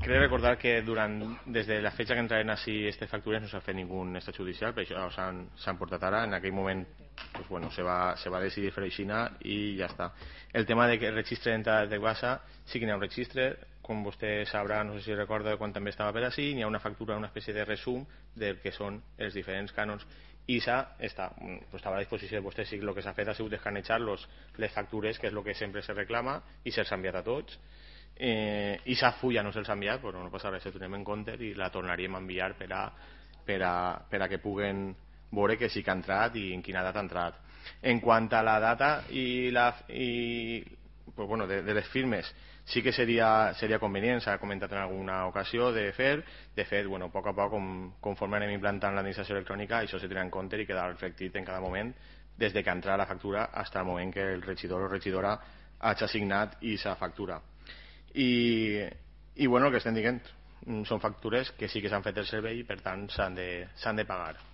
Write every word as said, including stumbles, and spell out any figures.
crec recordar que durant, des de la fecha que entraran així aquestes factures no s'ha fet ningú estat judicial, per això s'han portat ara. En aquell moment pues bueno, se va, se va decidir fer així i ja està. El tema de que el registre d'entrada de WhatsApp, sí que n'hi ha un registre, com vostè sabrà, no sé si recorda quan també estava per així, n'hi ha una factura, una espècie de resum del que són els diferents cànons, i s'ha està, pues estava a la disposició de vostè. Sí, el que s'ha fet ha sigut escanejar los, les factures, que és el que sempre se reclama, i se'ls ha enviat a tots. Eh, i s'ha full ja no se'ls ha enviat, però no passa res, ho tenim en compte i la tornaríem a enviar per a, per a, per a que puguen veure que sí que ha entrat i en quina data ha entrat. En quant a la data i la i, pues bueno, de, de les firmes, sí que seria, seria convenient, s'ha comentat en alguna ocasió de fer, de fet, bueno, a poc a poc com, conforme anem implantant l'administració electrònica, això se tindrà en compte i quedarà reflectit en cada moment des de que entra la factura fins al moment que el regidor o regidora hagi assignat i sa factura. I, i bueno, el que estem dient són factures que sí que s'han fet el servei i per tant s'han de, s'han de pagar.